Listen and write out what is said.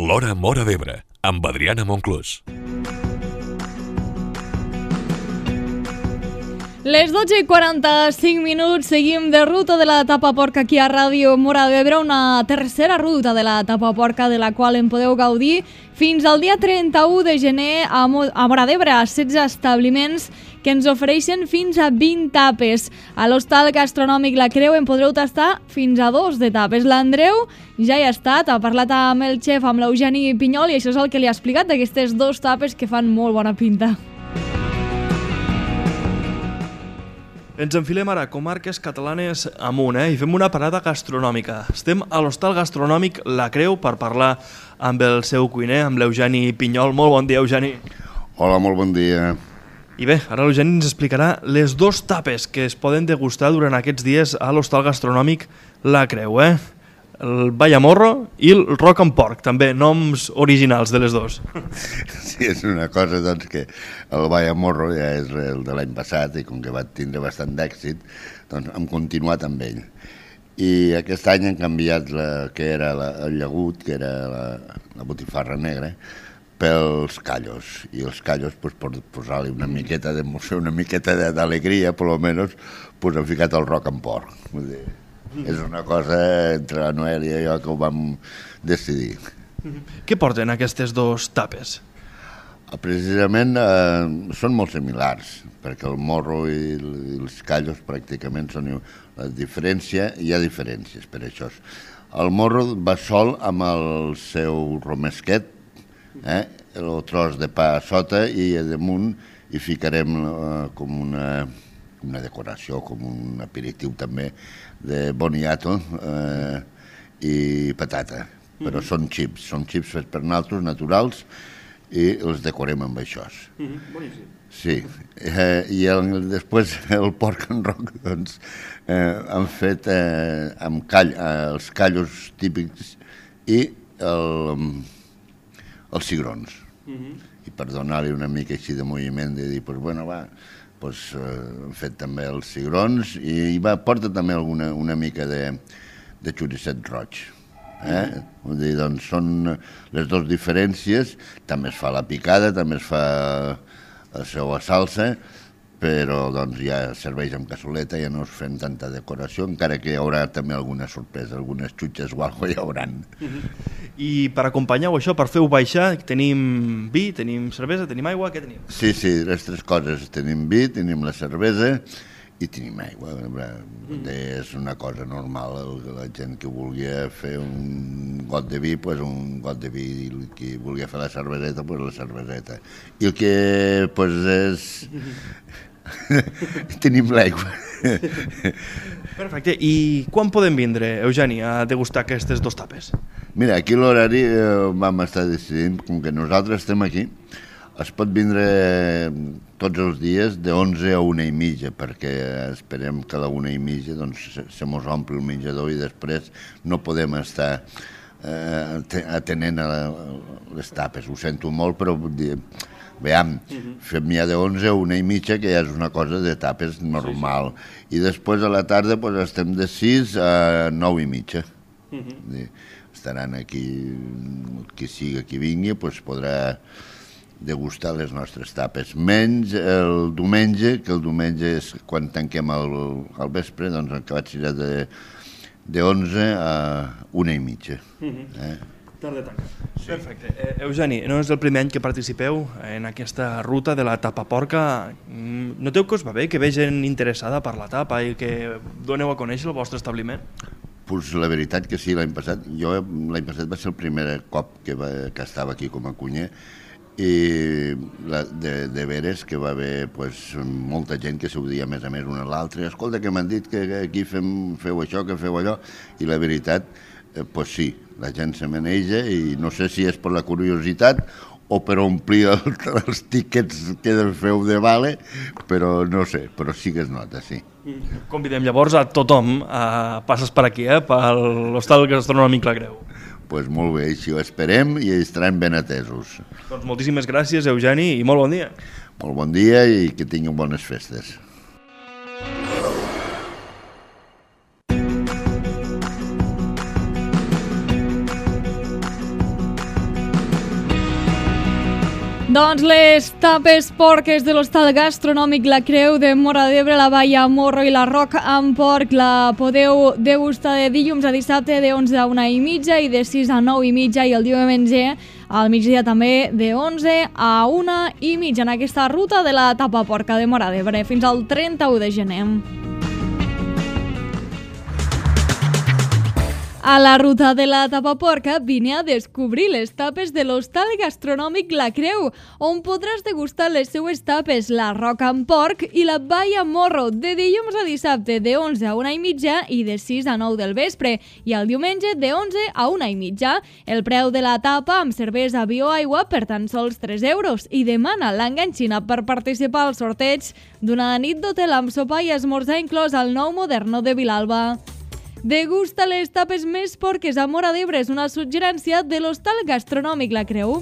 L'Hora Móra d'Ebre, amb Adriana Monclús. Les 12:45, seguim de ruta de la Tapaporca aquí a Ràdio Móra d'Ebre, una tercera ruta de la Tapaporca de la qual en podeu gaudir fins al dia 31 de gener a Móra d'Ebre, a 16 establiments que ens ofereixen fins a 20 tapes. A l'hostal gastronòmic La Creu en podreu tastar fins a 2 de tapes. L'Andreu ja hi ha estat, ha parlat amb el xef, amb l'Eugeni Pinyol, i això és el que li ha explicat d'aquestes 2 tapes que fan molt bona pinta. Ens enfilem ara comarques catalanes amunt, i fem una parada gastronòmica. Estem a l'hostal gastronòmic La Creu per parlar amb el seu cuiner, amb l'Eugeni Pinyol. Molt bon dia, Eugeni. Hola, molt bon dia. I bé, ara l'Eugeni ens explicarà les 2 tapes que es poden degustar durant aquests dies a l'hostal gastronòmic La Creu, El Vallamorro i el Rock and Pork, també, noms originals de les 2. Sí, és una cosa, doncs, que el Vallamorro ja és el de l'any passat i com que va tindre bastant d'èxit, doncs hem continuat amb ell. I aquest any han canviat que era el llagut, que era la botifarra negra, pels callos. I els callos, doncs, per posar-li una miqueta d'emoció, una miqueta d'alegria, per almenys, doncs, han ficat el Rock and Pork. Vull dir, és una cosa entre la Noelia i jo que ho vam decidir. Què porten aquestes 2 tapes? Precisament són molt similars, perquè el morro i els callos pràcticament són la diferència, hi ha diferències per això. El morro va sol amb el seu romesquet, el tros de pa a sota, i a damunt hi ficarem com una decoració, com un aperitiu també, de boniato i patata. Però són xips fets per nosaltres, naturals, i els decorem amb això. Boníssim. Sí, i després el pork and rock, doncs, han fet els callos típics i els cigrons. I per donar-li una mica així de moviment, de dir, doncs, bueno, va, han fet també els cigrons i porta també una mica de xoricet roig. Vull dir, doncs són les 2 diferències. També es fa la picada, també es fa la seva salsa, però doncs ja serveix amb cassoleta, ja no es fem tanta decoració, encara que hi haurà també alguna sorpresa, algunes xutxes o alguna cosa hi hauran. I per acompanyar-ho això, per fer-ho baixar, tenim vi, tenim cervesa, tenim aigua, què tenim? Sí, les 3 coses. Tenim vi, tenim la cervesa i tenim aigua. És una cosa normal. La gent que volia fer un got de vi, doncs un got de vi. I el que volia fer la cerveseta, doncs la cerveseta. I el que és... tenim l'aigua. Perfecte. I quan podem vindre, Eugeni, a degustar aquestes 2 tapes? Mira, aquí l'horari vam estar decidint, com que nosaltres estem aquí, es pot vindre tots els dies de 11 a 1:30, perquè esperem que a la 1:30 doncs, se mos ompli el menjador i després no podem estar atenent a les tapes. Ho sento molt, però veiem, fem ja de 11 a 1:30, que ja és una cosa de tapes normal. I després a la tarda estem de 6 a 9:30. Estaran aquí, qui sigui qui vingui, podrà degustar les nostres tapes. Menys el diumenge, que el diumenge és quan tanquem al vespre, doncs acabat serà de 11 a 1:30. Tarda tanca. Perfecte. Eugeni, no és el primer any que participeu en aquesta ruta de la Tapaporca. Noteu que us va bé, que ve gent interessada per la tapa i que doneu a conèixer el vostre establiment? Pues la veritat que sí, l'any passat va ser el primer cop que estava aquí com a cuiner, i de veres que va haver molta gent que s'ho dia a més un a l'altre. Escolta, que m'han dit que aquí feu això, que feu allò, i la veritat, doncs sí, la gent se maneja, i no sé si és per la curiositat o per omplir els tíquets que feu de vale, però no sé, però sí que es nota, sí. Convidem llavors a tothom a passes per aquí, per l'hostal gastronòmic La Creu. Doncs molt bé, així ho esperem i estaran ben atesos. Doncs moltíssimes gràcies, Eugeni, i molt bon dia. Molt bon dia i que tinguin bones festes. Doncs les tapes porques de l'hostal gastronòmic La Creu de Móra d'Ebre, la Baia Morro i la Roca amb porc la podeu degustar de dilluns a dissabte de 11 a 1:30 i de 6 a 9:30 i el diumenge al migdia també de 11 a 1:30 en aquesta ruta de la tapa porca de Móra d'Ebre fins al 31 de gener. A la ruta de la tapa porca vine a descobrir les tapes de l'hostal gastronòmic La Creu, on podràs degustar les seues tapes, la roca amb porc i la baia morro, de dilluns a dissabte de 11 a 1:30 i de 6 a 9 del vespre, i el diumenge de 11 a 1:30. El preu de la tapa amb cervesa, vi o aigua per tan sols 3 euros i demana l'enganxina per participar al sorteig d'una nit d'hotel amb sopar i esmorzar inclòs al nou Moderno de Vilalba. Degusta les tapes més porques a Móra d'Ebre és una suggerència de l'hostal gastronòmic La Creu.